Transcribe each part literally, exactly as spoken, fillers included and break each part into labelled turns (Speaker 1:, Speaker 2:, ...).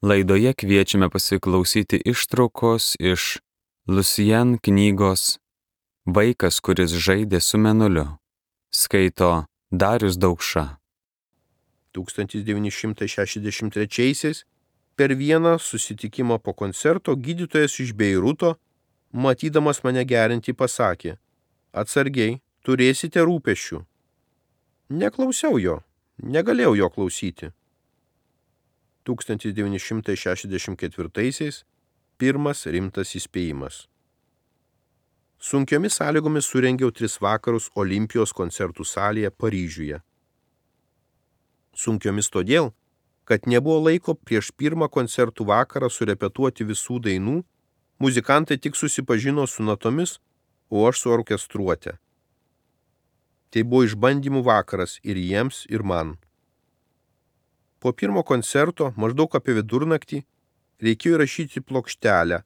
Speaker 1: Laidoje kviečiame pasiklausyti ištraukos iš Lucian knygos Vaikas, kuris žaidė su mėnuliu. Skaito Darius Daukša.
Speaker 2: tūkstantis devyni šimtai šešiasdešimt trečiaisiais per vieną susitikimą po koncerto gydytojas iš Beiruto, matydamas mane geriantį, pasakė: atsargiai, turėsite rūpesčių. Neklausiau jo, negalėjau jo klausyti. tūkstantis devyni šimtai šešiasdešimt ketvirtaisiais pirmas rimtas įspėjimas. Sunkiomis sąlygomis surengiau tris vakarus Olimpijos koncertų salėje Paryžiuje. Sunkiomis todėl, kad nebuvo laiko prieš pirmą koncertų vakarą surepetuoti visų dainų, muzikantai tik susipažino su natomis, o aš su orkestruote. Tai buvo išbandymų vakaras ir jiems, ir man. Po pirmo koncerto, maždaug apie vidurnaktį, reikėjo įrašyti plokštelę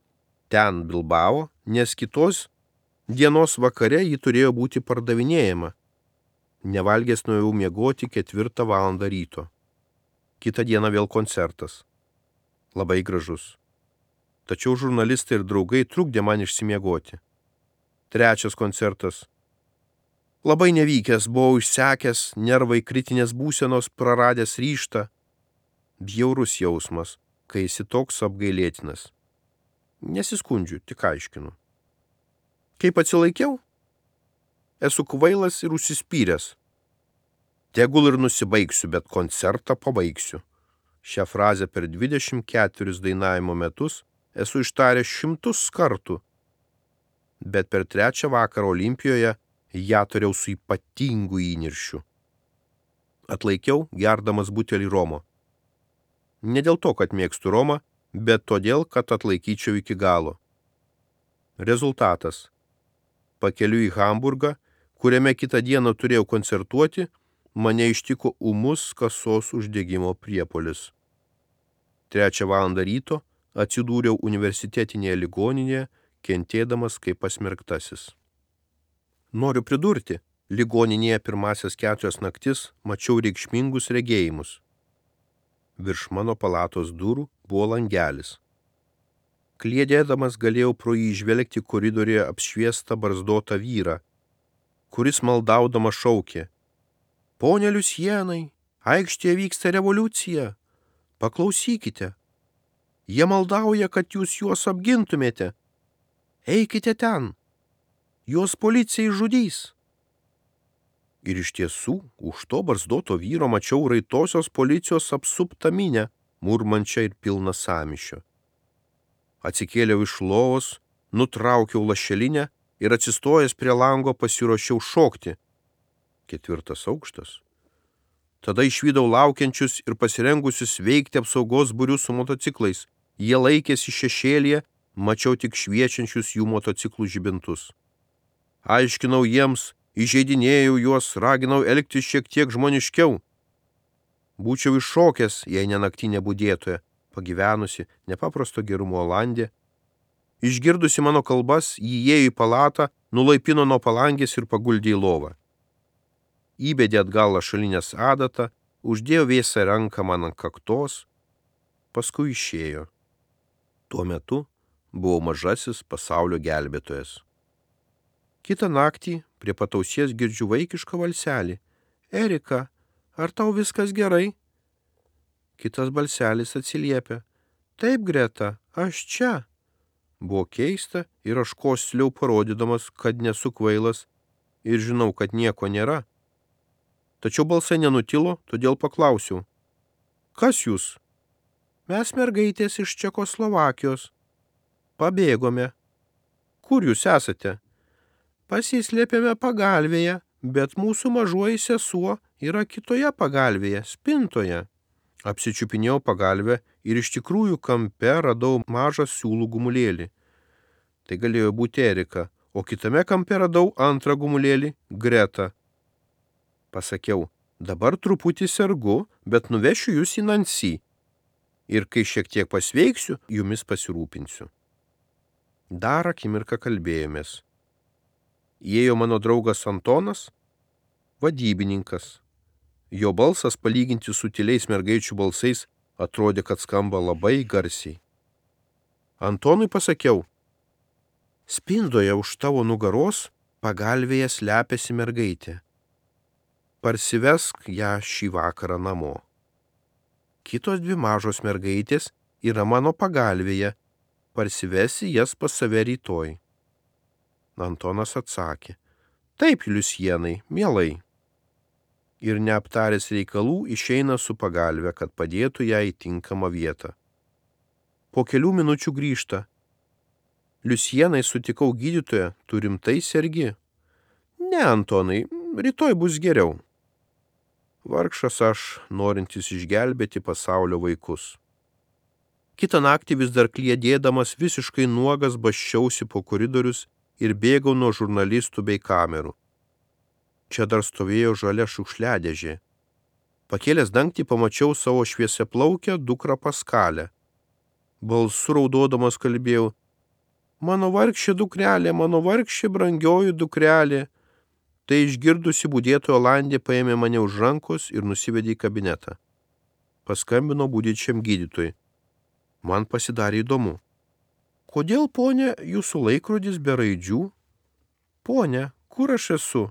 Speaker 2: ten Bilbao, nes kitos dienos vakare ji turėjo būti pardavinėjama. Nevalgęs nuėjau miegoti ketvirtą valandą ryto. Kitą dieną vėl koncertas. Labai gražus. Tačiau žurnalistai ir draugai trukdė man išsimiegoti. Trečias koncertas. Labai nevykęs, buvau išsekęs, nervai kritinės būsenos, praradęs ryžtą. Bjaurus jausmas, kai esi toks apgailėtinas. Nesiskundžiu, tik aiškinu. Kaip atsilaikiau? Esu kvailas ir užsispyręs. Tegul ir nusibaigsiu, bet koncertą pabaigsiu. Šią frazę per dvidešimt keturis dainavimo metus esu ištaręs šimtus kartų. Bet per trečią vakarą Olimpijoje ją turėjau su ypatingu įniršiu. Atlaikiau gerdamas butelį romo. Ne dėl to, kad mėgstu romą, bet todėl, kad atlaikyčiau iki galo. Rezultatas. Pakeliu į Hamburgą, kuriame kitą dieną turėjau koncertuoti, mane ištiko ūmus kasos uždegimo priepuolis. Trečią valandą ryto atsidūriau universitetinėje ligoninėje, kentėdamas kaip pasmerktasis. Noriu pridurti, ligoninėje pirmasias keturias naktis mačiau reikšmingus regėjimus. Virš mano palatos durų buvo langelis. Kliedėdamas galėjau pro jį žvelgti koridoriuje apšviestą barzdotą vyrą, kuris maldaudamas šaukė: Pone Liusienai, aikštėje vyksta revoliucija. Paklausykite. Jie maldauja, kad jūs juos apgintumėte. Eikite ten. Juos policijai žudys. Ir iš tiesų, už to barzdoto vyro mačiau raitosios policijos apsuptą minę, murmančią ir pilną sąmyšio. Atsikėliau iš lovos, nutraukiau lašelinę ir atsistojęs prie lango pasiruošiau šokti. Ketvirtas aukštas. Tada išvydau laukiančius ir pasirengusius veikti apsaugos būrius su motociklais. Jie laikėsi šešėlyje, mačiau tik šviečiančius jų motociklų žibintus. Aiškinau jiems, įžeidinėjau juos, raginau elgtis šiek tiek žmoniškiau. Būčiau iššokęs, jei ne naktinė budėtoja, pagyvenusi, nepaprasto gerumo Olandė. Išgirdusi mano kalbas, jį įėjo į palatą, nulaipino nuo palangės ir paguldė į lovą. Įbedė atgal lašalinės adatą, uždėjo vėsą ranką man ant kaktos, paskui išėjo. Tuo metu buvau mažasis pasaulio gelbėtojas. Kitą naktį prie patausies girdžiu vaikišką valselį. Erika, ar tau viskas gerai? Kitas balselis atsiliepia. Taip, Greta, aš čia. Buvo keista ir aš kosliau parodydamas, kad nesu kvailas ir žinau, kad nieko nėra. Tačiau balsai nenutilo, todėl paklausiau. Kas jūs? Mes mergaitės iš Čekoslovakijos. Pabėgome. Kur jūs esate? Pasislėpėme pagalvėje, bet mūsų mažoji sesuo yra kitoje pagalvėje, spintoje. Apsičiupinėjau pagalvę ir iš tikrųjų kampe radau mažą siūlų gumulėlį. Tai galėjo būti Erika, o kitame kampe radau antrą gumulėlį, Greta. Pasakiau, dabar truputį sergu, bet nuvešiu jūs į Nancy. Ir kai šiek tiek pasveiksiu, jumis pasirūpinsiu. Dar akimirką kalbėjomės. Įėjo mano draugas Antonas, vadybininkas. Jo balsas palyginti su tyliais mergaičių balsais Atrodė, kad skamba labai garsiai. Antonui pasakiau, spindoje už tavo nugaros pagalvėje slepiasi mergaitė. Parsivesk ją šį vakarą namo. Kitos dvi mažos mergaitės yra mano pagalvėje, parsivesi jas pas save rytoj. Antonas atsakė, taip, Liusienai, mielai. Ir neaptaręs reikalų išeina su pagalve, kad padėtų ją į tinkamą vietą. Po kelių minučių grįžta. Liusienai, sutikau gydytoją, tu rimtai sergi? Ne, Antonai, rytoj bus geriau. Vargšas aš, norintis išgelbėti pasaulio vaikus. Kitą naktį vis dar kliedėdamas visiškai nuogas basčiausi po koridorius ir bėgau nuo žurnalistų bei kamerų. Čia dar stovėjo žalia šiukšliadėžė. Pakėlęs dangtį pamačiau savo šviesiaplaukę dukrą Paskalę. Balsu raudodamas kalbėjau, mano vargšė dukrelė, mano vargšė brangioji dukrelė. Tai išgirdusi budėtoja Olandė paėmė mane už rankos ir nusivedė į kabinetą. Paskambino budėčiam gydytojui. Man pasidarė įdomu. Kodėl, ponė, jūsų laikrodis be raidžių? Ponė, kur aš esu?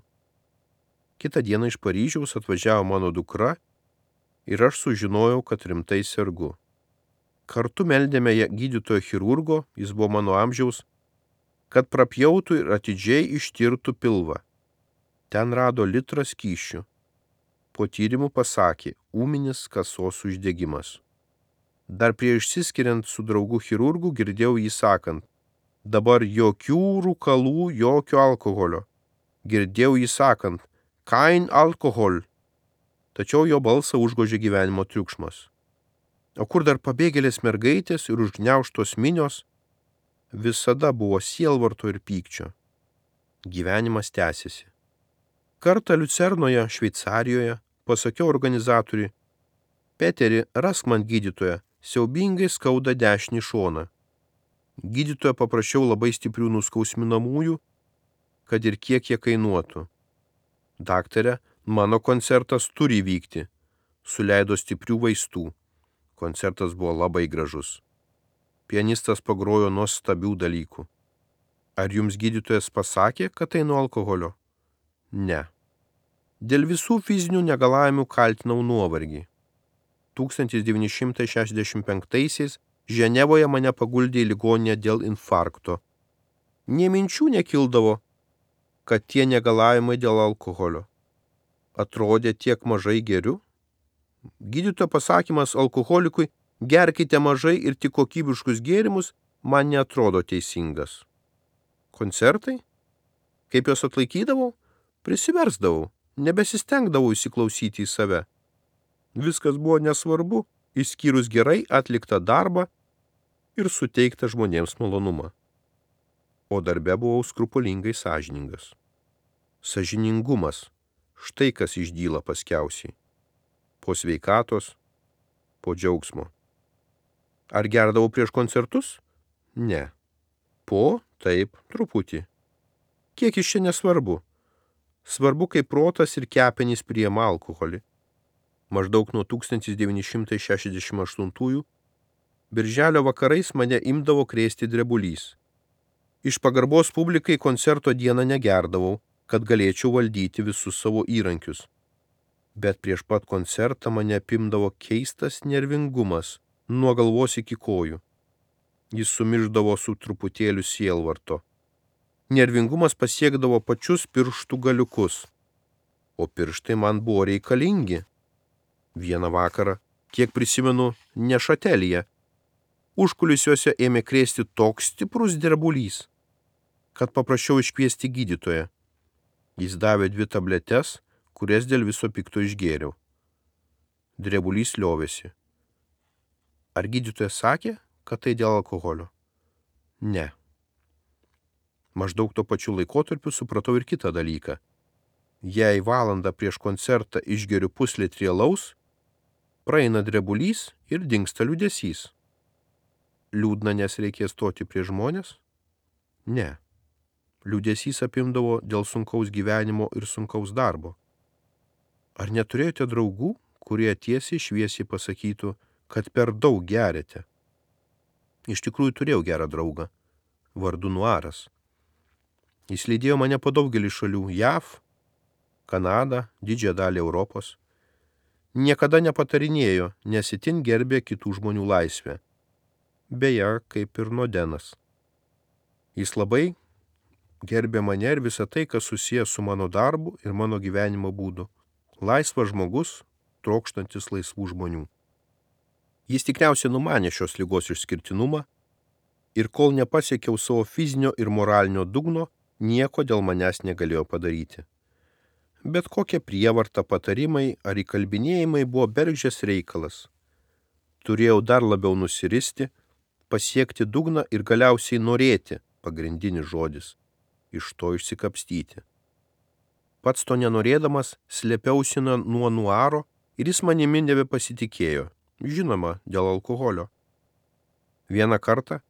Speaker 2: Kitą dieną iš Paryžiaus atvažiavo mano dukra ir aš sužinojau, kad rimtai sergu. Kartu meldėme gydytojo chirurgo, jis buvo mano amžiaus, kad prapjautų ir atidžiai ištirtų pilvą. Ten rado litrą skysčių. Po tyrimų pasakė, ūminis kasos uždegimas. Dar prieš išsiskiriant su draugu chirurgu girdėjau jį sakant, dabar jokių rūkalų, jokio alkoholio. Girdėjau jį sakant, kein alkohol. Tačiau jo balsą užgožė gyvenimo triukšmas. O kur dar pabėgėlės mergaitės ir užgniaužtos minios, visada buvo sielvarto ir pykčio. Gyvenimas tęsiasi. Kartą Liucernoje, Šveicarijoje, pasakiau organizatoriui, Peteri, rask man gydytoją, siaubingai skauda dešinį šoną. Gydytoją paprašiau labai stiprių nuskausminamųjų, kad ir kiek jie kainuotų. Daktare, mano koncertas turi vykti. Suleido stiprių vaistų. Koncertas buvo labai gražus. Pianistas pagrojo nuostabių dalykų. Ar jums gydytojas pasakė, kad tai nuo alkoholio? Ne. Dėl visų fizinių negalavimų kaltinau nuovargį. tūkstantis devyni šimtai šešiasdešimt penktaisiais Ženevoje mane paguldė į ligoninę dėl infarkto. Nė minčių nekildavo, kad tie negalavimai dėl alkoholio. Atrodė tiek mažai geriu. Gydytojo pasakymas alkoholikui, gerkite mažai ir tik kokybiškus gėrimus, man neatrodo teisingas. Koncertai? Kaip juos atlaikydavau? Prisiversdavau, nebesistengdavau įsiklausyti į save. Viskas buvo nesvarbu, išskyrus gerai atliktą darbą ir suteiktą žmonėms malonumą. O darbe buvau skrupulingai sąžiningas. Sąžiningumas, štai kas išdyla paskiausiai. Po sveikatos, po džiaugsmo. Ar gerdavau prieš koncertus? Ne. Po, taip, truputį. Kiek iš čia nesvarbu. Svarbu, kaip protas ir kepenys priima alkoholį. Maždaug nuo tūkstantis devyni šimtai šešiasdešimt aštuntųjų birželio vakarais mane imdavo krėsti drebulys. Iš pagarbos publikai koncerto dieną negerdavau, kad galėčiau valdyti visus savo įrankius. Bet prieš pat koncertą mane apimdavo keistas nervingumas nuo galvos iki kojų. Jis sumišdavo su truputėliu sielvarto. Nervingumas pasiekdavo pačius pirštų galiukus, o pirštai man buvo reikalingi. Vieną vakarą, kiek prisimenu, Nešatelyje, užkulisiuose ėmė krėsti toks stiprus drebulys, kad paprašiau iškviesti gydytoją. Jis davė dvi tabletes, kurias dėl viso pikto išgėriau. Drebulys liovėsi. Ar gydytojas sakė, kad tai dėl alkoholio? Ne. Maždaug tuo pačiu laikotarpiu supratau ir kitą dalyką. Jei valandą prieš koncertą išgeriu puslitrį alaus, praeina drebulys ir dingsta liūdesys. Liūdna, nes reikės stoti prie žmonės? Ne. Liūdesys apimdavo dėl sunkaus gyvenimo ir sunkaus darbo. Ar neturėjote draugų, kurie tiesiai šviesiai pasakytų, kad per daug geriate. Iš tikrųjų turėjau gerą draugą, vardu Nuaras. Jis lydėjo mane po daugelį šalių – J A V, Kanadą, didžiąją dalį Europos. Niekada nepatarinėjo, nes itin gerbė kitų žmonių laisvę. Beje, kaip ir Nodenas. Jis labai gerbė mane ir visą tai, kas susijęs su mano darbu ir mano gyvenimo būdu. Laisvas žmogus, trokštantis laisvų žmonių. Jis tikriausiai numanė šios ligos išskirtinumą ir kol nepasiekiau savo fizinio ir moralinio dugno, nieko dėl manęs negalėjo padaryti. Bet kokie prievarta, patarimai ar įkalbinėjimai buvo bergždžias reikalas. Turėjau dar labiau nusiristi, pasiekti dugną ir galiausiai norėti, pagrindinis žodis, iš to išsikapstyti. Pats to nenorėdamas, slėpiausi nuo Nuaro ir jis manimi nebepasitikėjo, žinoma, dėl alkoholio. Vieną kartą,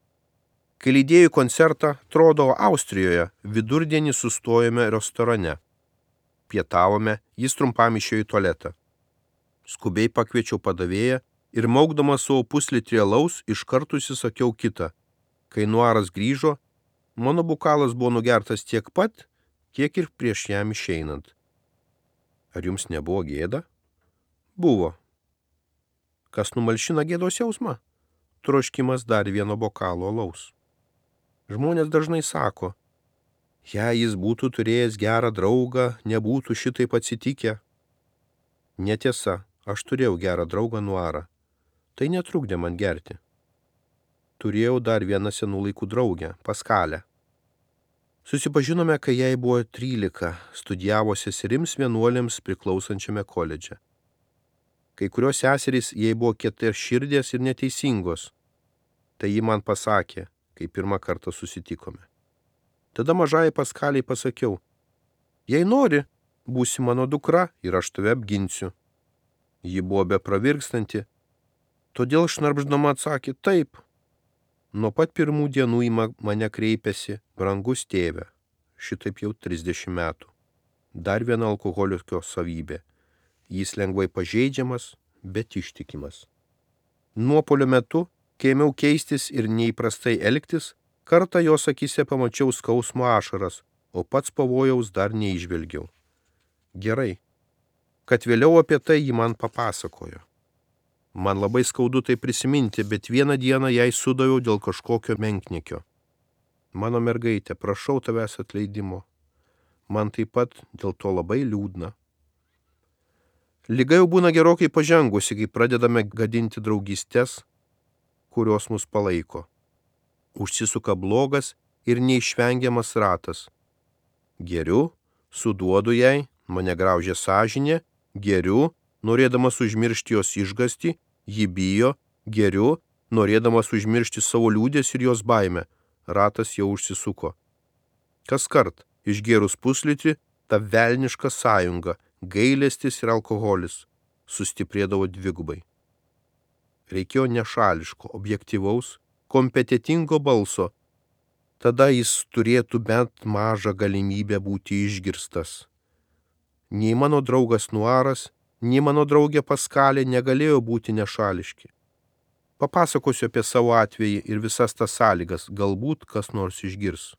Speaker 2: kai lydėjau koncertą Trodo Austrijoje, vidurdienį sustojome restorane. Pietavome, jis trumpam išėjo į tualetą. Skubiai pakviečiau padavėją ir maukdamas savo puslitrį alaus iš karto įsisakiau kitą. Kai Nuaras grįžo, mano bokalas buvo nugertas tiek pat, kiek ir prieš jam išeinant. Ar jums nebuvo gėda? Buvo. Kas numalšina gėdos jausmą? Troškimas dar vieno bokalo alaus. Žmonės dažnai sako, jei jis būtų turėjęs gerą draugą, nebūtų šitaip atsitikę. Netiesa, aš turėjau gerą draugą Nuarą. Tai netrukdė man gerti. Turėjau dar vieną senų laikų draugę, Paskalę. Susipažinome, kai jai buvo trylika, studijavo seserims vienuolėms priklausančiame koledže. Kai kurios seserys jai buvo kietarširdės ir neteisingos. Tai ji man pasakė, kai pirmą kartą susitikome. Tada mažai Paskaliai pasakiau, jei nori, būsi mano dukra ir aš tave apginsiu. Ji buvo bepravirkstanti, todėl šnarpždama atsakė taip. Nuo pat pirmų dienų į mane kreipėsi, brangus tėve, šitaip jau trisdešimt metų. Dar viena alkoholikio savybė. Jis lengvai pažeidžiamas, bet ištikimas. Nuopuolio metu, kai ėmiau keistis ir neįprastai elgtis, kartą jos akyse pamačiau skausmo ašaras, o pats pavojaus dar neižvelgiau. Gerai, kad vėliau apie tai ji man papasakojo. Man labai skaudu tai prisiminti, bet vieną dieną jai sudaviau dėl kažkokio menkniekio. Mano mergaitė, prašau tavęs atleidimo. Man taip pat dėl to labai liūdna. Liga jau būna gerokai pažengusi, kai pradedame gadinti draugystės, kurios mus palaiko. Užsisuka blogas ir neišvengiamas ratas. Geriu, suduodu jai, mane graužia sąžinė, geriu, norėdamas užmiršti jos išgąstį, ji bijo, geriu, norėdamas užmiršti savo liūdės ir jos baimę. Ratas jau užsisuko. Kaskart, išgėrus puslitrį, ta velniška sąjunga, gailestis ir alkoholis sustiprėdavo dvigubai. Reikėjo nešališko, objektyvaus, kompetitingo balso. Tada jis turėtų bent mažą galimybę būti išgirstas. Nei mano draugas Nuaras, nei mano draugė Paskalė negalėjo būti nešališki. Papasakosiu apie savo atvejį ir visas tas sąlygas, galbūt kas nors išgirs.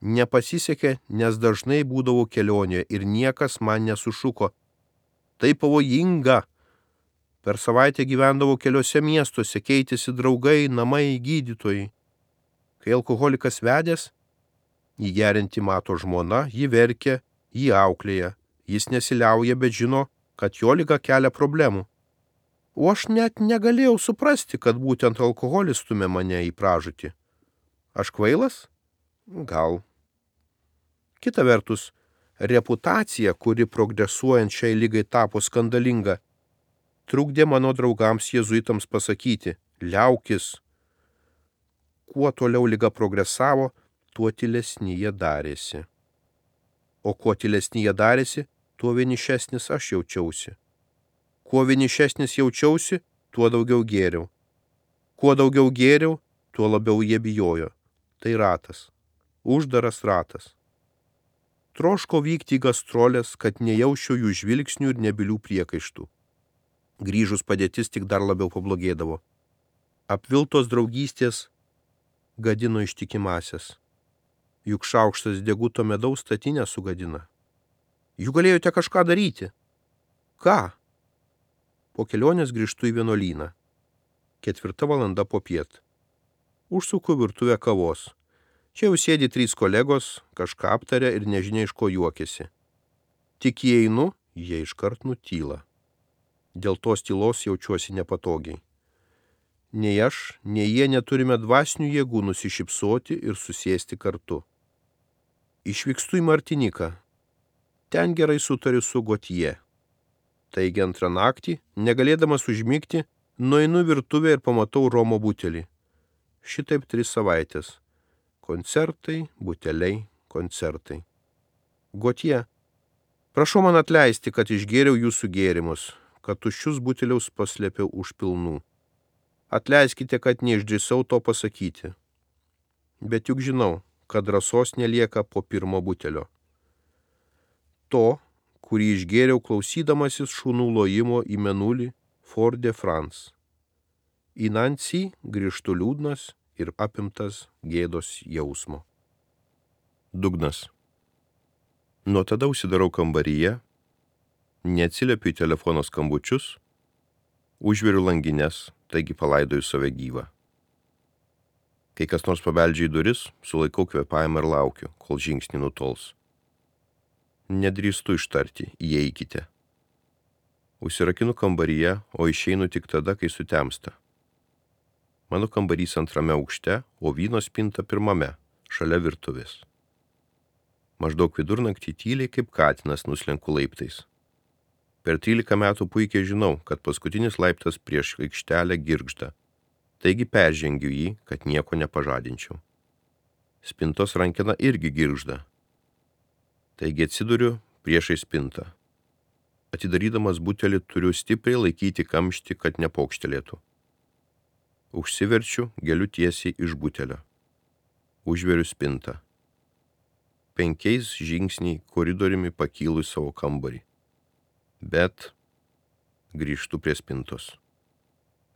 Speaker 2: Nepasisekė, nes dažnai būdavau kelionėje ir niekas man nesušuko. Tai pavojinga. Per savaitę gyvendavau keliose miestuose, keitėsi draugai, namai, gydytojai. Kai alkoholikas vedęs, jį gerinti mato žmona, jį verkia, jį auklėja. Jis nesiliauja, bet žino, kad jo liga kelia problemų. O aš net negalėjau suprasti, kad būtent alkoholis stumia mane į pražūtį. Aš kvailas? Gal. Kita vertus, reputacija, kuri progresuojant šiai ligai tapo skandalinga, trukdė mano draugams jėzuitams pasakyti, liaukis. Kuo toliau liga progresavo, tuo tylesni jie darėsi. O kuo tylesni jie darėsi, tuo vienišesnis aš jaučiausi. Kuo vienišesnis jaučiausi, tuo daugiau gėriau. Kuo daugiau gėriau, tuo labiau jie bijojo. Tai ratas. Uždaras ratas. Troško vykti į gastrolės, kad nejaučiau jų žvilgsnių ir nebylių priekaištų. Grįžus padėtis tik dar labiau pablogėdavo. Apviltos draugystės gadino ištikimasias. Juk šaukštas deguto medaus statinę sugadina. Juk galėjote kažką daryti. Ką? Po kelionės grįžtu į vienuolyną. Ketvirta valanda popiet. Užsuku virtuvę kavos. Čia jau sėdi trys kolegos, kažką aptarė ir nežinia iš ko juokiasi. Tik įeinu, jie iškart nutyla. Dėl tos tylos jaučiuosi nepatogiai. Nei aš, nei jie neturime dvasinių jėgų nusišypsoti ir susėsti kartu. Išvykstu į Martiniką. Ten gerai sutariu su Gotje. Taigi antrą naktį, negalėdamas užmigti, nueinu virtuvę ir pamatau romo butelį. Šitaip tris savaitės. Koncertai, buteliai, koncertai. Gotje, prašau man atleisti, kad išgėriau jūsų gėrimus, kad tuščius buteliaus paslėpiau už pilnų. Atleiskite, kad neišdrįsau to pasakyti. Bet juk žinau, kad drąsos nelieka po pirmo butelio. To, kurį išgėriau klausydamasis šunų lojimo į Mėnulį Fort de France. Į Nancy grįžtu liūdnas ir apimtas gėdos jausmo. Dugnas. Nuo tada užsidarau kambaryje, neatsiliepiu į telefono skambučius, užveriu langines, taigi palaidoju save gyvą. Kai kas nors pabeldžia į duris, sulaikau kvėpavimą ir laukiu, kol žingsnį nutols. Nedrįstu ištarti, įeikite. Užsirakinu kambaryje, o išeinu tik tada, kai sutemsta. Mano kambarys antrame aukšte, o vyno spinta pirmame, šalia virtuvės. Maždaug vidurnaktį tyliai kaip katinas nuslenku laiptais. Per trylika metų puikiai žinau, kad paskutinis laiptas prieš aikštelę girgžda, taigi peržengiu jį, kad nieko nepažadinčiau. Spintos rankena irgi girgžda, taigi atsiduriu priešai spintą. Atidarydamas butelį turiu stipriai laikyti kamštį, kad nepokštelėtų. Užsiverčiu, geliu tiesiai iš butelio. Užveriu spintą. Penkiais žingsniai koridoriumi pakylu į savo kambarį. Bet grįžtu prie spintos.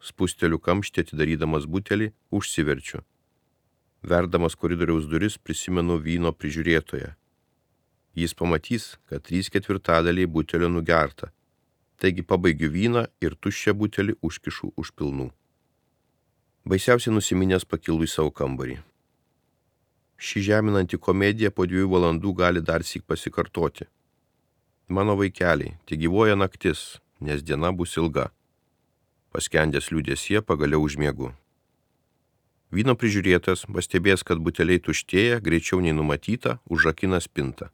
Speaker 2: Spusteliu kamštį atidarydamas butelį, užsiverčiu. Verdamas koridoriaus duris prisimenu vyno prižiūrėtoją. Jis pamatys, kad trys ketvirtadaliai butelio nugerta, taigi pabaigiu vyną ir tuščią butelį užkišu už pilnų. Baisiausiai nusiminęs pakilu į savo kambarį. Ši žeminanti komedija po dviejų valandų gali dar syk pasikartoti. Mano vaikeliai, tik gyvuoja naktis, nes diena bus ilga. Paskendęs liūdėsyje pagaliau užmiegu. Vyno prižiūrėtas, pastebėjęs, kad buteliai tuštėja, greičiau nei numatyta, užrakina spintą.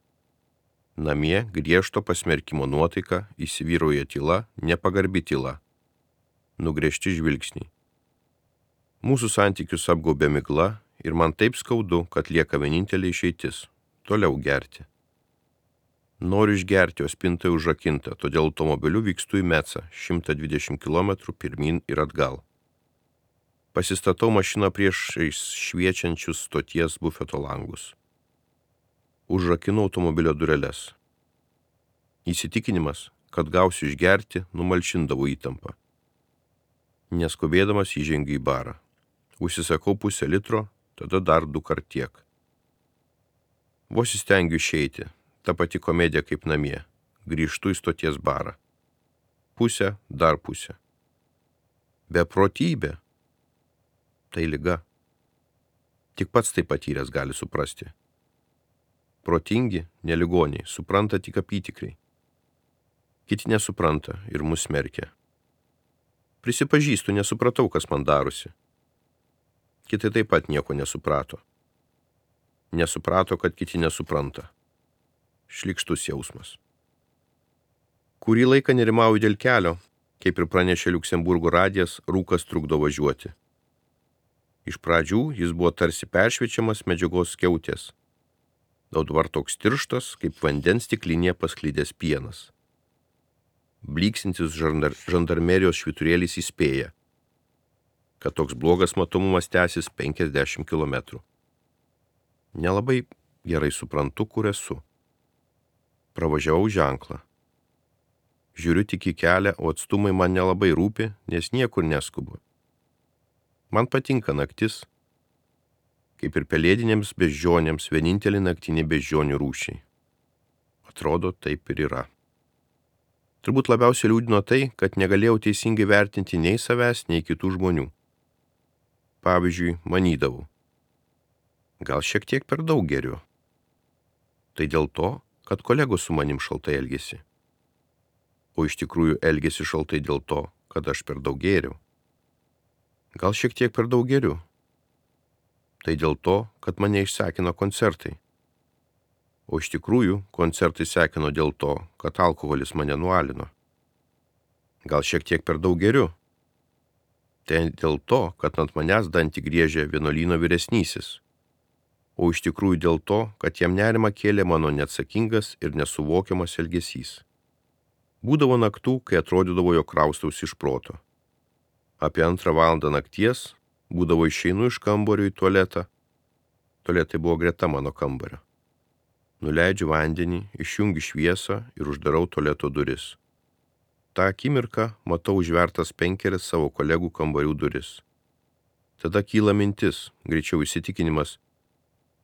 Speaker 2: Namie griežto pasmerkimo nuotaika, įsivyrauja tyla, nepagarbi tyla. Nugręžti žvilgsniai. Mūsų santykius apgaubė migla ir man taip skaudu, kad lieka vienintelė išeitis – toliau gerti. Noriu išgerti, o spinta užrakinta, todėl automobiliu vykstu į Mecą, šimtą dvidešimt kilometrų pirmyn ir atgal. Pasistatau mašiną priešais šviečiančius stoties bufeto langus. Užrakinu automobilio dureles. Įsitikinimas, kad gausiu išgerti, numalšindavo įtampą. Neskubėdamas įžengiu į barą. Užsisakau pusę litro, tada dar du kart tiek. Vos įstengiu išeiti, ta pati komedija kaip namie. Grįžtu į stoties barą. Pusę, dar pusę. Beprotybė. Tai liga. Tik pats tai patyręs gali suprasti. Protingi, neligoniai, supranta tik apytikriai. Kiti nesupranta ir mus smerkia. Prisipažįstu, nesupratau, kas man darosi. Kiti taip pat nieko nesuprato. Nesuprato, kad kiti nesupranta. Šlykštus jausmas. Kurį laiką nerimauju dėl kelio, kaip ir pranešė Liuksemburgo radijas, rūkas trukdo važiuoti. Iš pradžių jis buvo tarsi peršviečiamas medžiagos skiautės. Dabar toks tirštas, kaip vandens stiklinėje pasklydęs pienas. Bliksintis žandar, žandarmerijos švyturėlis įspėja, kad toks blogas matomumas tęsis penkiasdešimt kilometrų. Nelabai gerai suprantu, kur esu. Pravažiavau ženklą. Žiūriu tik į kelią, o atstumai man nelabai rūpi, nes niekur neskubu. Man patinka naktis, kaip ir pelėdinėms beždžionėms vienintelį naktinį beždžionių rūšiai. Atrodo, taip ir yra. Turbūt labiausiai liūdino tai, kad negalėjau teisingai vertinti nei savęs, nei kitų žmonių. Pavyzdžiui, manydavau, gal šiek tiek per daug geriu. Tai dėl to, kad kolegos su manim šaltai elgėsi. O iš tikrųjų elgėsi šaltai dėl to, kad aš per daug gėriau. Gal šiek tiek per daug geriu. Tai dėl to, kad mane išsekino koncertai. O iš tikrųjų koncertai sekino dėl to, kad alkoholis mane nualino. Gal šiek tiek per daug geriu. Tai dėl to, kad ant manęs dantį griežė vienuolyno vyresnysis. O iš tikrųjų dėl to, kad jam nerimą kėlė mano neatsakingas ir nesuvokiamas elgesys. Būdavo naktų, kai atrodydavo, jog kraustausi iš proto. Apie antrą valandą nakties būdavo išeinu iš kambario į tualetą. Tualetai buvo greta mano kambario. Nuleidžiu vandenį, išjungiu šviesą ir uždarau tualeto duris. Ta akimirką matau užvertas penkeris savo kolegų kambarių duris. Tada kyla mintis, greičiau įsitikinimas,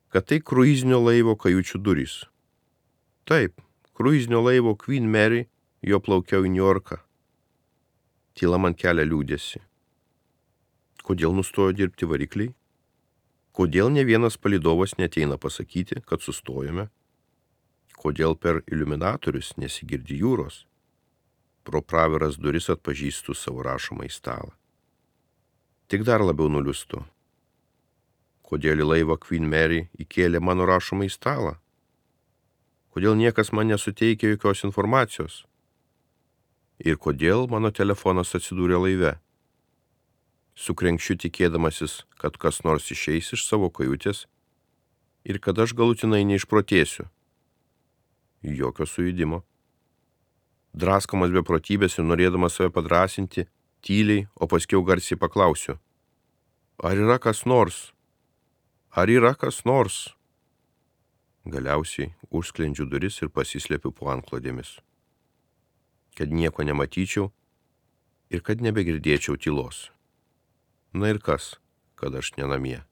Speaker 2: kad tai kruizinio laivo kajučių durys. Taip, kruizinio laivo Queen Mary, jo plaukiau į Niujorką. Tyla man kelia liūdėsi. Kodėl nustojo dirbti varikliai? Kodėl ne vienas palydovas neateina pasakyti, kad sustojame? Kodėl per iliuminatorius nesigirdi jūros? Pro praviras duris atpažįstu savo rašomą į stalą. Tik dar labiau nuliūstu. Kodėl į laivą Queen Mary įkėlė mano rašomą į stalą? Kodėl niekas man nesuteikė jokios informacijos? Ir kodėl mano telefonas atsidūrė laive? Sukrenkšiu tikėdamasis, kad kas nors išeis iš savo kajutės ir kad aš galutinai neišprotėsiu. Jokio sujudimo. Draskomas beprotybės ir norėdamas save padrasinti, tyliai, o paskiau garsiai paklausiu. Ar yra kas nors? Ar yra kas nors? Galiausiai užsklendžiu duris ir pasislėpiu po antklodėmis. Kad nieko nematyčiau ir kad nebegirdėčiau tylos. Na ir kas, kad aš nenamie.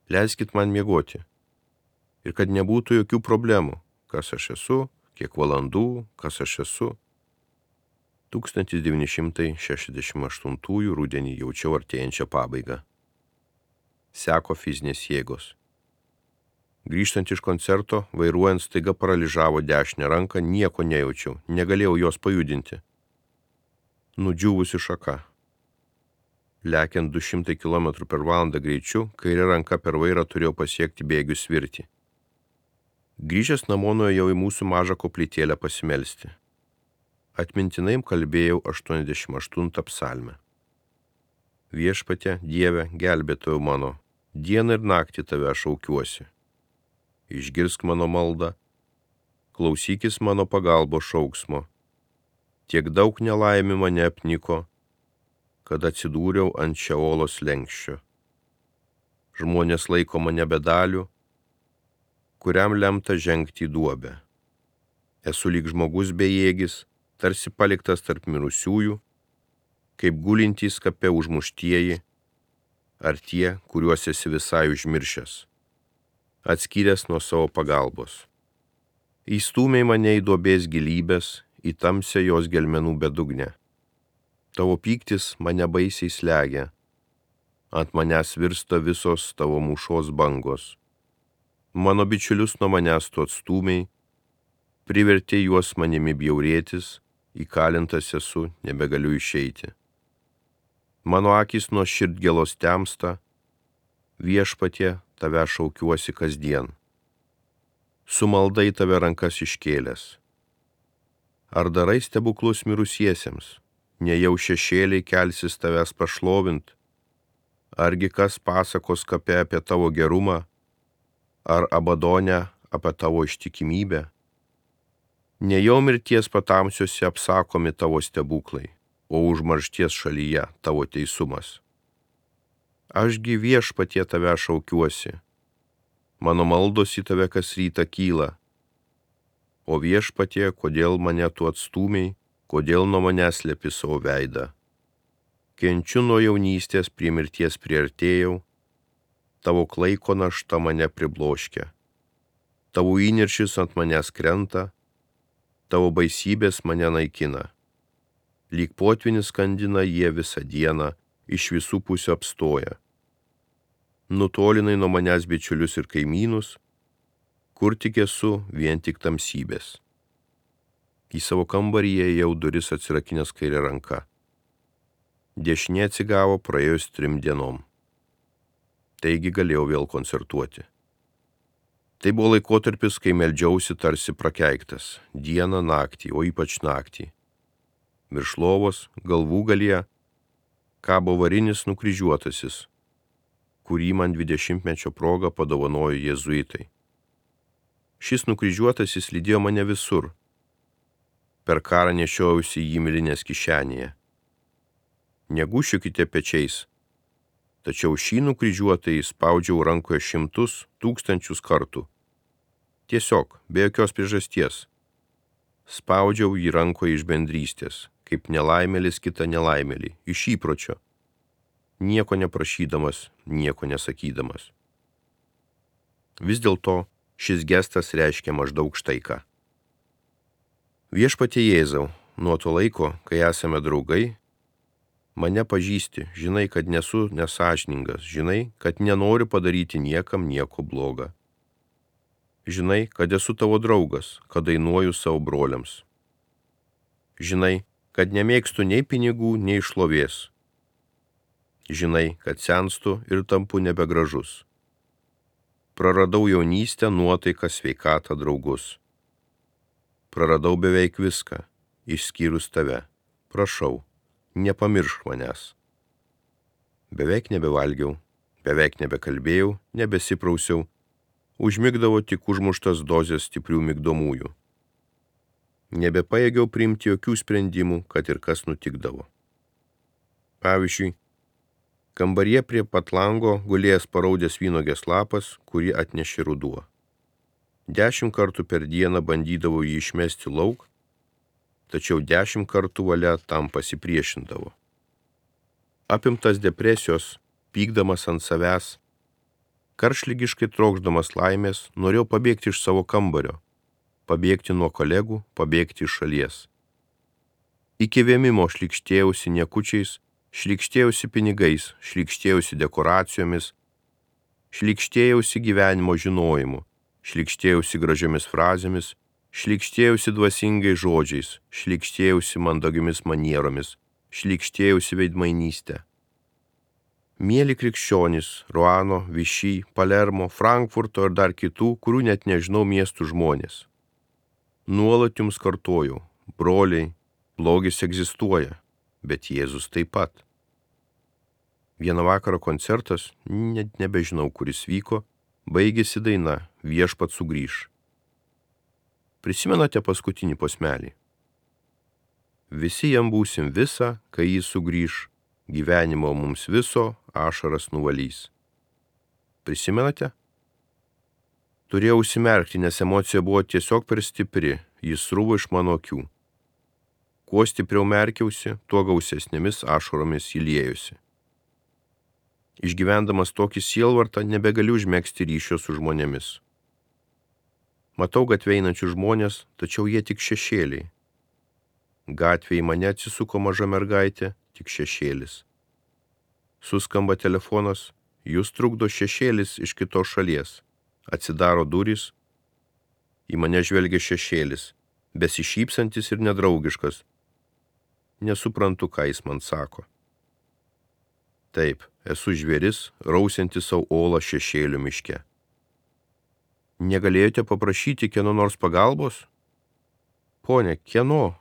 Speaker 2: Leiskit man miegoti. Ir kad nebūtų jokių problemų, kas aš esu, kiek valandų, kas aš esu. tūkstantis devyni šimtai šešiasdešimt aštuntųjų rudenį jaučiau artėjančią pabaigą. Seko fizinės jėgos. Grįžtant iš koncerto, vairuojant staiga paralyžavo dešinę ranką, nieko nejaučiau, negalėjau jos pajudinti. Nudžiūvusi šaka. Lekiant du šimtai kilometrų per valandą greičiu, kairė ranka per vairą turėjo pasiekti bėgių svirtį. Grįžęs namo nuėjau į mūsų mažą koplytėlę pasimelsti. Atmintinai kalbėjau aštuoniasdešimt aštuntą psalmę. Viešpatie, Dieve, gelbėtojau mano, dieną ir naktį tave šaukiuosi. Išgirsk mano maldą, klausykis mano pagalbos šauksmo. Tiek daug nelaimių mane apniko, kad atsidūriau ant Šeolo slenksčio. Žmonės laiko mane bedaliu, kuriam lemta žengti į duobę. Esu lyg žmogus bejėgis, tarsi paliktas tarp mirusiųjų, kaip gulintys kape užmuštieji, ar tie, kuriuos esi visai užmiršęs, atskyręs nuo savo pagalbos. Įstūmei mane į duobės gilybės, į tamsią jos gelmenų bedugnę. Tavo pyktis mane baisiai slegia, ant manęs virsta visos tavo mūšos bangos. Mano bičiulius nuo manęs tu atstūmei, privertė juos manimi bjaurėtis, įkalintas esu, nebegaliu išeiti. Mano akys nuo širdgėlos temsta, viešpatie, tave šaukiuosi kasdien. Su malda į tave rankas iškėlęs. Ar darai stebuklus mirusiesiems, nejau šešėliai kelsis tavęs pašlovint? Argi kas pasakos kape apie tavo gerumą, ar Abadonę apie tavo ištikimybę? Nejau mirties patamsiuose apsakomi tavo stebuklai, o užmaršties šalyje tavo teisumas. Ašgi viešpatie tave šaukiuosi, mano maldos į tave kas rytą kyla. O viešpatie, kodėl mane tu atstūmiai, kodėl nuo manęs slepi savo veidą. Kenčiu nuo jaunystės, prie mirties priartėjau, tavo klaiko našta mane pribloškia. Tavo įniršis ant manęs krenta, tavo baisybės mane naikina. Lyg potvinis skandina jie visą dieną, iš visų pusių apstoja. Nutolinai nuo manęs bičiulius ir kaimynus, kur tik esu, vien tik tamsybės. Į savo kambarį ėjau duris atsirakinęs kairę ranką. Dešinė atsigavo praėjus trim dienom. Taigi galėjau vėl koncertuoti. Tai buvo laikotarpis, kai meldžiausi tarsi prakeiktas, dieną, naktį, o ypač naktį. Virš lovos, galvų galyje, kabo varinis nukryžiuotasis, kurį man dvidešimtmečio proga padovanojo jėzuitai. Šis nukryžiuotasis lydėjo mane visur. Per karą nešiojausi jį milinės kišenėje. Negūšiukite pečiais, tačiau šį nukryžiuotąjį spaudžiau rankoje šimtus, tūkstančius kartų. Tiesiog, be jokios priežasties. Spaudžiau jį rankoje iš bendrystės, kaip nelaimėlis kitą nelaimėlį, iš įpročio, nieko neprašydamas, nieko nesakydamas. Vis dėlto šis gestas reiškia maždaug štai ką. Viešpatie Jėzau, nuo to laiko, kai esame draugai, mane pažįsti, žinai, kad nesu nesąžiningas, žinai, kad nenoriu padaryti niekam nieko bloga. Žinai, kad esu tavo draugas, kad dainuoju savo broliams. Žinai, kad nemėgstu nei pinigų, nei šlovės. Žinai, kad senstu ir tampu nebegražus. Praradau jaunystę, nuotaiką, sveikatą, draugus. Praradau beveik viską, išskyrus tave. Prašau, nepamiršk manęs. Beveik nebevalgiau, beveik nebekalbėjau, nebesiprausiau, užmigdavo tik užmuštas dozės stiprių migdomųjų. Nebepajėgiau priimti jokių sprendimų, kad ir kas nutikdavo. Pavyzdžiui, kambaryje prie pat lango gulėjęs paraudęs vynuogės lapas, kurį atnešė ruduo. Dešimt kartų per dieną bandydavau jį išmesti lauk, tačiau dešimt kartų valia tam pasipriešindavo. Apimtas depresijos, pykdamas ant savęs, karštligiškai trokšdamas laimės, norėjau pabėgti iš savo kambario, pabėgti nuo kolegų, pabėgti iš šalies. Iki vėmimo šlykštėjausi niekučiais, šlykštėjausi pinigais, šlykštėjausi dekoracijomis, šlykštėjausi gyvenimo žinojimu, šlykštėjausi gražiomis frazėmis, šlykštėjausi dvasingais žodžiais, šlykštėjausi mandagiomis manieromis, šlykštėjausi veidmainystę. Mieli krikščionys, Ruano, Višy, Palermo, Frankfurto ir dar kitų, kurių net nežinau miestų žmonės. Nuolat jums kartojau, broliai, blogis egzistuoja, bet Jėzus taip pat. Vieną vakarą koncertas, net nebežinau, kuris vyko, baigėsi daina Viešpats sugrįš. Prisimenate paskutinį posmelį? Visi jam būsim visa, kai jis sugrįš, gyvenimo mums viso ašaras nuvalys. Prisimenate? Turėjau užsimerkti, nes emocija buvo tiesiog per stipri, jis srūvo iš mano akių. Kuo stipriau merkiausi, tuo gausesnėmis ašaromis įliejusi. Išgyvendamas tokį sielvartą nebegaliu užmegzti ryšio su žmonėmis. Matau gatvėje einančius žmonės, tačiau jie tik šešėliai. Gatvėje į mane atsisuko maža mergaitė, tik šešėlis. Suskamba telefonas, jūs trukdo šešėlis iš kitos šalies. Atsidaro durys, į mane žvelgia šešėlis, besišypsantis ir nedraugiškas. Nesuprantu, ką jis man sako. Taip, esu žvėris, rausiantis savo olą šešėlių miške. Negalėjote paprašyti kieno nors pagalbos? Pone, kieno?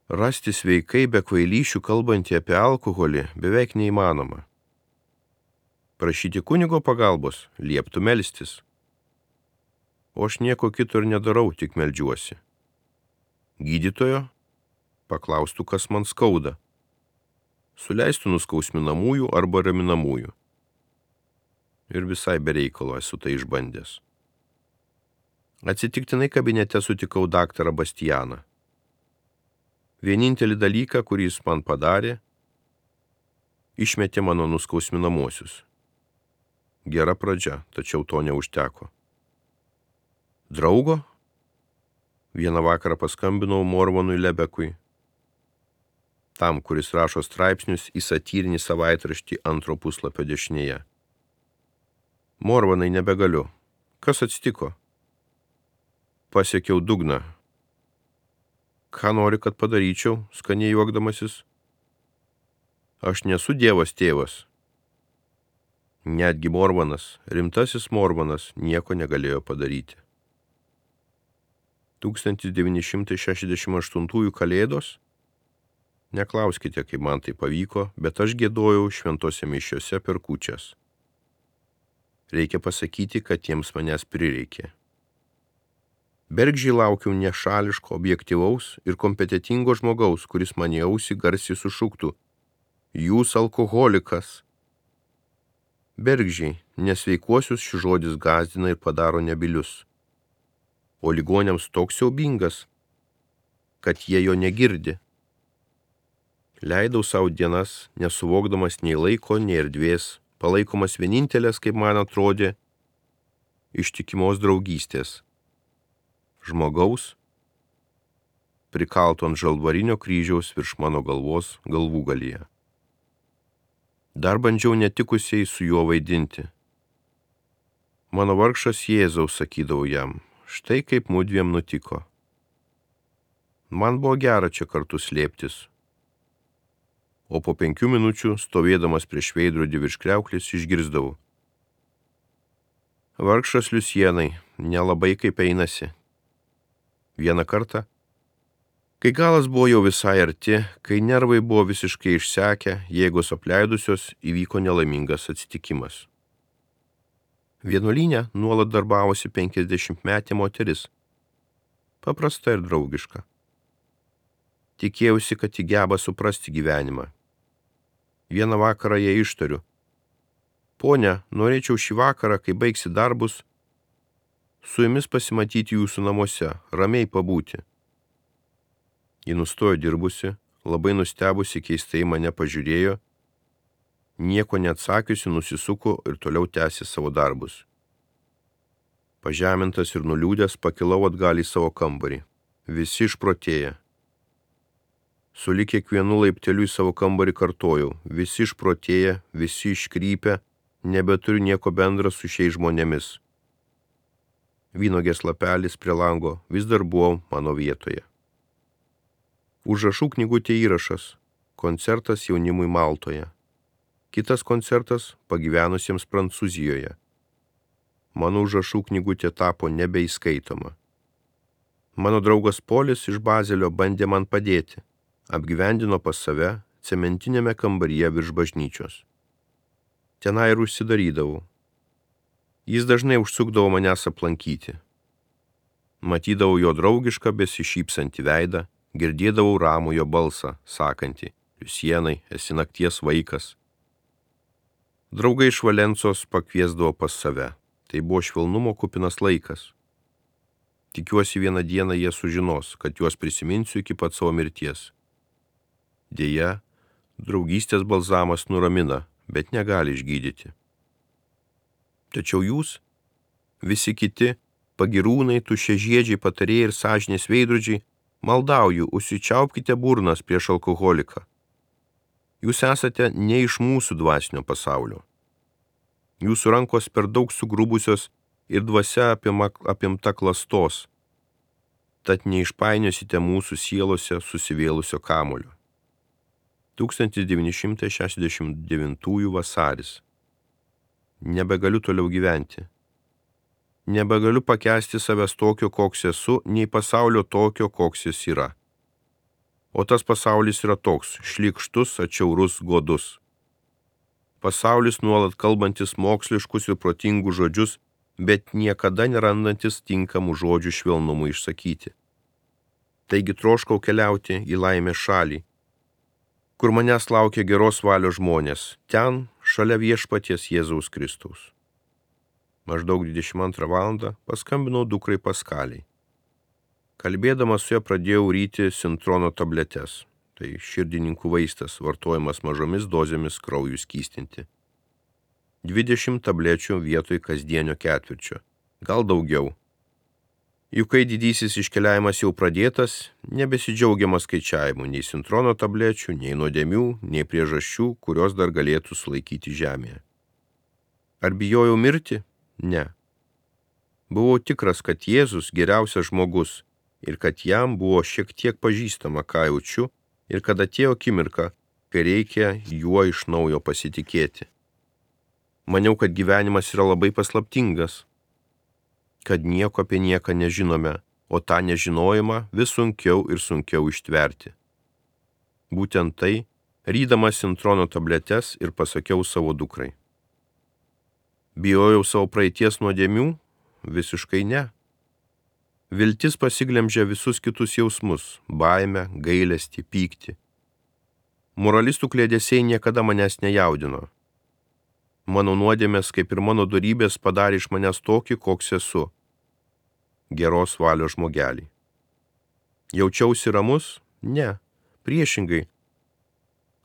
Speaker 2: Rasti sveikai be kvailyšių kalbantį apie alkoholį beveik neįmanoma. Prašyti kunigo pagalbos, lieptų melstis. O aš nieko kito ir nedarau, tik meldžiuosi. Gydytojo? Paklaustų, kas man skauda. Suleistų nuskausminamųjų arba raminamųjų. Ir visai be reikalo esu tai išbandęs. Atsitiktinai kabinete sutikau daktarą Bastianą. Vienintelį dalyką, kurį jis man padarė, išmetė mano nuskausminamuosius. Gera pradžia, tačiau to neužteko. Draugo? Vieną vakarą paskambinau Morvanui Lebekui, tam, kuris rašo straipsnius į satyrinį savaitraštį antro puslapio dešinėje. Morvanai, nebegaliu. Kas atsitiko? Pasiekiau dugną. Ką nori, kad padaryčiau, skaniai juokdamasis? Aš nesu Dievas tėvas. Netgi Morvanas, rimtasis Morvanas, nieko negalėjo padaryti. tūkstantis devyni šimtai šešiasdešimt aštuntųjų kalėdos? Neklauskite, kaip man tai pavyko, bet aš giedojau šventose mišiose per kūčias. Reikia pasakyti, kad jiems manęs prireikė. Bergždžiai laukiau nešališko, objektyvaus ir kompetitingo žmogaus, kuris man į ausį garsiai sušuktų: Jūs alkoholikas. Bergždžiai, nesveikuosius šis žodis gąsdina ir padaro nebylius. O ligoniams toks siaubingas, kad jie jo negirdi. Leidau savo dienas, nesuvokdamas nei laiko, nei erdvės, palaikomas vienintelės, kaip man atrodė, ištikimos draugystės. Žmogaus, prikalto ant žalvarinio kryžiaus virš mano galvos galvūgalyje. Dar bandžiau netikusiai su juo vaidinti. Mano vargšas Jėzaus, sakydavau jam, štai kaip mudviem nutiko. Man buvo gera čia kartu slėptis. O po penkių minučių, stovėdamas prieš veidrodį virš kriauklės, išgirsdavau: Vargšas Liusienai, nelabai kaip einasi. Vieną kartą, kai galas buvo jau visai arti, kai nervai buvo visiškai išsekę, jėgos apleidusios, įvyko nelaimingas atsitikimas. Vienuolyne nuolat darbavosi penkiasdešimtmetė moteris, paprasta ir draugiška. Tikėjausi, kad ji geba suprasti gyvenimą. Vieną vakarą jai ištariu: Ponia, norėčiau šį vakarą, kai baigsi darbus, su jumis pasimatyti jūsų namuose, ramiai pabūti. Ji nustojo dirbusi, labai nustebusi, keistai mane pažiūrėjo, nieko neatsakiusi nusisuko ir toliau tęsė savo darbus. Pažemintas ir nuliūdęs pakilau atgal į savo kambarį. Visi išprotėję. Sulig kiekvienu laipteliu į savo kambarį kartojau: visi išprotėję, visi iškrypę, nebeturiu nieko bendra su šiais žmonėmis. Vynogės lapelis prie lango vis dar buvo mano vietoje. Užrašų knygutė įrašas: koncertas jaunimui Maltoje. Kitas koncertas pagyvenusiems Prancūzijoje. Mano užrašų knygutė tapo nebeįskaitoma. Mano draugas Polis iš Bazelio bandė man padėti. Apgyvendino pas save cementinėme kambaryje virš bažnyčios. Tenai ir užsidarydavau. Jis dažnai užsukdavo manęs aplankyti. Matydavau jo draugišką besišypsantį veidą, girdėdavau ramų jo balsą, sakantį: Liusienai, esi nakties vaikas. Draugai iš Valensos pakviesdavo pas save. Tai buvo švelnumo kupinas laikas. Tikiuosi, vieną dieną jie sužinos, kad juos prisiminsiu iki pat savo mirties. Deja, draugystės balzamas nuramina, bet negali išgydyti. Tačiau jūs, visi kiti, pagirūnai, tuščiažiedžiai, patarėjai ir sąžinės veidrodžiai, maldauju, užsičiaupkite burnas prieš alkoholiką. Jūs esate ne iš mūsų dvasinio pasaulio. Jūsų rankos per daug sugrubusios ir dvasia apima, apimta klastos, tad neišpainiosite mūsų sielose susivėlusio kamulio. tūkstantis devyni šimtai šešiasdešimt devintųjų vasaris. Nebegaliu toliau gyventi. Nebegaliu pakęsti savęs tokio, koks esu, nei pasaulio tokio, koks jis yra. O tas pasaulis yra toks, šlykštus, atšiaurus, godus. Pasaulis nuolat kalbantis moksliškus ir protingus žodžius, bet niekada nerandantis tinkamų žodžių švelnumui išsakyti. Taigi troškau keliauti į laimės šalį, kur manęs laukia geros valios žmonės, ten, šalia viešpaties Jėzaus Kristaus. Maždaug dvidešimt antrą valandą paskambinau dukrai Paskaliai. Kalbėdamas su ja pradėjau ryti sintrono tabletes. Tai širdininkų vaistas, vartojamas mažomis dozėmis kraujų skystinti. dvidešimt tablečių vietoj kasdienio ketvirčio. Gal daugiau. Juk kai didysis iškeliavimas jau pradėtas, nebesidžiaugiama skaičiavimu nei sintrono tablečių, nei nuodėmių, nei priežasčių, kurios dar galėtų sulaikyti žemėje. Ar bijojau mirti? Ne. Buvau tikras, kad Jėzus geriausias žmogus ir kad jam buvo šiek tiek pažįstama, ką jaučiu, ir kad atėjo akimirka, kai reikia juo iš naujo pasitikėti. Maniau, kad gyvenimas yra labai paslaptingas, kad nieko apie nieką nežinome, o tą nežinojimą vis sunkiau ir sunkiau ištverti. Būtent tai, rydamas sintrono tabletes ir pasakiau savo dukrai. Bijojau savo praeities nuodėmių? Visiškai ne. Viltis pasiglemžia visus kitus jausmus – baimę, gailestį, pyktį. Moralistų kliedesiai niekada manęs nejaudino. Mano nuodėmės, kaip ir mano dorybės, padarė iš manęs tokį, koks esu. Geros valios žmogelį. Jaučiausi ramus? Ne. Priešingai.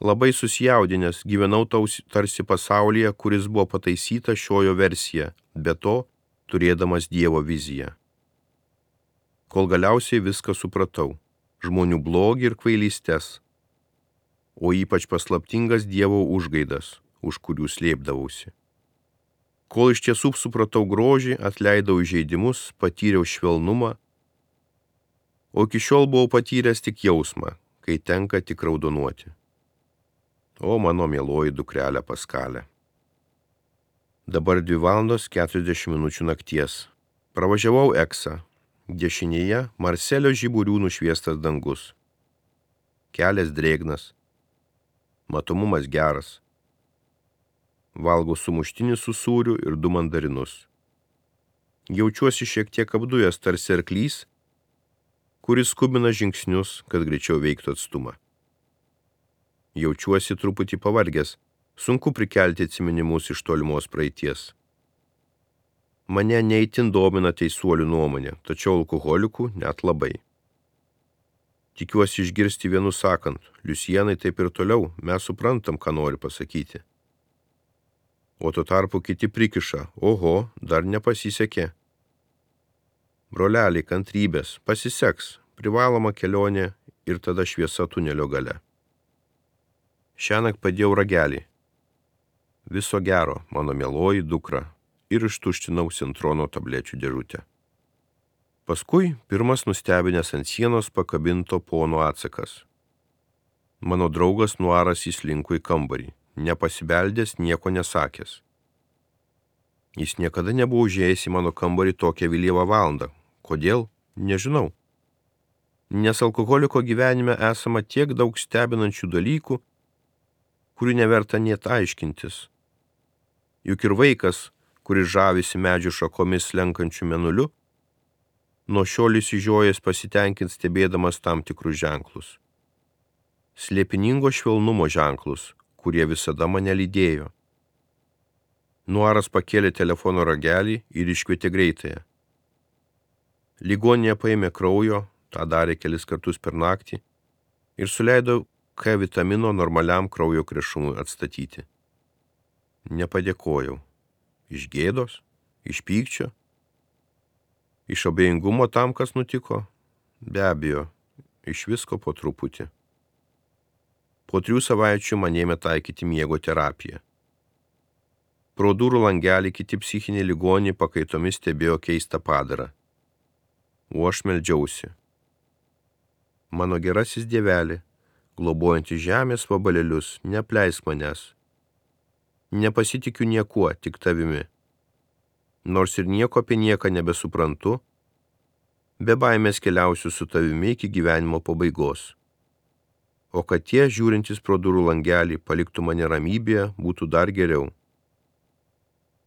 Speaker 2: Labai susijaudinęs, gyvenau tarsi pasaulyje, kuris buvo pataisyta šiojo versija, be to turėdamas Dievo viziją. Kol galiausiai viską supratau, žmonių blogį ir kvailystes, o ypač paslaptingas Dievo užgaidas, už kurių slėpdavausi. Kol iš tiesų supratau grožį, atleidau įžeidimus, patyriau švelnumą, o iki šiol buvau patyręs tik jausmą, kai tenka tik raudonuoti. O mano mieloji dukrelė Paskalė. Dabar dvi valandos keturiasdešimt minučių nakties. Pravažiavau Eksą. Dešinėje Marselio žiburių nušviestas dangus. Kelias drėgnas. Matomumas geras. Valgau sumuštinį su sūriu ir du mandarinus. Jaučiuosi šiek tiek apdujęs tarsi arklys, kuris skubina žingsnius, kad greičiau veiktų atstumą. Jaučiuosi truputį pavargęs, sunku prikelti atsiminimus iš tolimos praeities. Mane neįtin domina teisuolių nuomonė, tačiau alkoholikų net labai. Tikiuosi išgirsti vienu sakant, Liusienai taip ir toliau, mes suprantam, ką nori pasakyti. O tuo tarpu kiti prikiša, oho, dar nepasisekė. Broleliai, kantrybės, pasiseks, privaloma kelionė ir tada šviesa tunelio gale. Šiąnakt padėjau ragelį. Viso gero, mano mieloji dukra, ir ištuštinau sintrono tablečių dėžutę. Paskui pirmas nustebinęs ant sienos pakabinto pono atsakas. Mano draugas Nuaras įslinko į kambarį, nepasibeldęs, nieko nesakęs. Jis niekada nebuvo užėjęs į mano kambarį tokią vėlyvą valandą. Kodėl? Nežinau. Nes alkoholiko gyvenime esama tiek daug stebinančių dalykų, kurių neverta net aiškintis. Juk ir vaikas, kuris žavisi medžių šakomis slenkančių mėnuliu, nuo šiol įsižiojęs pasitenkins stebėdamas tam tikrus ženklus. Slėpiningo švelnumo ženklus, kurie visada mane lydėjo. Nuaras pakėlė telefono ragelį ir iškvietė greitąją. Ligoninėje paėmė kraujo, tą darė kelis kartus per naktį, ir suleido K vitamino normaliam kraujo krešumui atstatyti. Nepadėkojau. Iš gėdos? Iš pykčio? Iš abejingumo tam, kas nutiko? Be abejo, iš visko po truputį. Po trijų savaičių man ėmė taikyti miego terapiją. Pro durų langelį kiti psichiniai ligoniai pakaitomis stebėjo keistą padarą. O aš meldžiausi. Mano gerasis Dievelį, globojantis žemės vabalėlius, neapleisk manęs. Nepasitikiu niekuo, tik tavimi. Nors ir nieko apie nieką nebesuprantu, be baimės keliausiu su tavimi iki gyvenimo pabaigos. O kad tie, žiūrintys pro durų langelį, paliktų mane ramybėje, būtų dar geriau.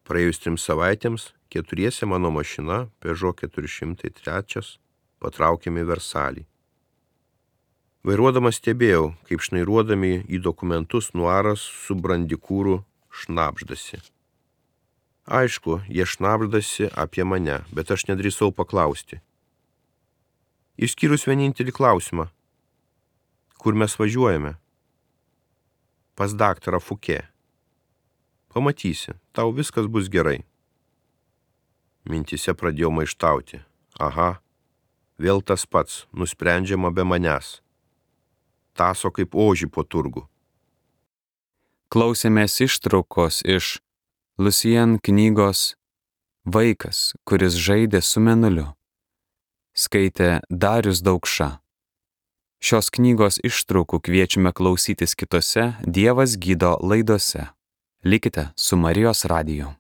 Speaker 2: Praėjus trim savaitėms, keturiese mano mašina, Peugeot keturi šimtai trys, patraukėme į Versalį. Vairuodamas stebėjau, kaip šnairuodami į dokumentus Nuaras su brandikūru šnabždasi. Aišku, jie šnabždasi apie mane, bet aš nedrįsau paklausti. Išskyrus vienintelį klausimą. Kur mes važiuojame? Pas daktarą Fouquet. Pamatysi, tau viskas bus gerai. Mintise pradėjau maištauti. Aha, vėl tas pats, nusprendžiama be manęs. Taso kaip ožį po turgų.
Speaker 1: Klausėmės ištraukos iš Lucien knygos Vaikas, kuris žaidė su mėnuliu. Skaitė Darius Daukša. Šios knygos ištraukų kviečiame klausytis kitose Dievas gydo laidose. Likite su Marijos radiju.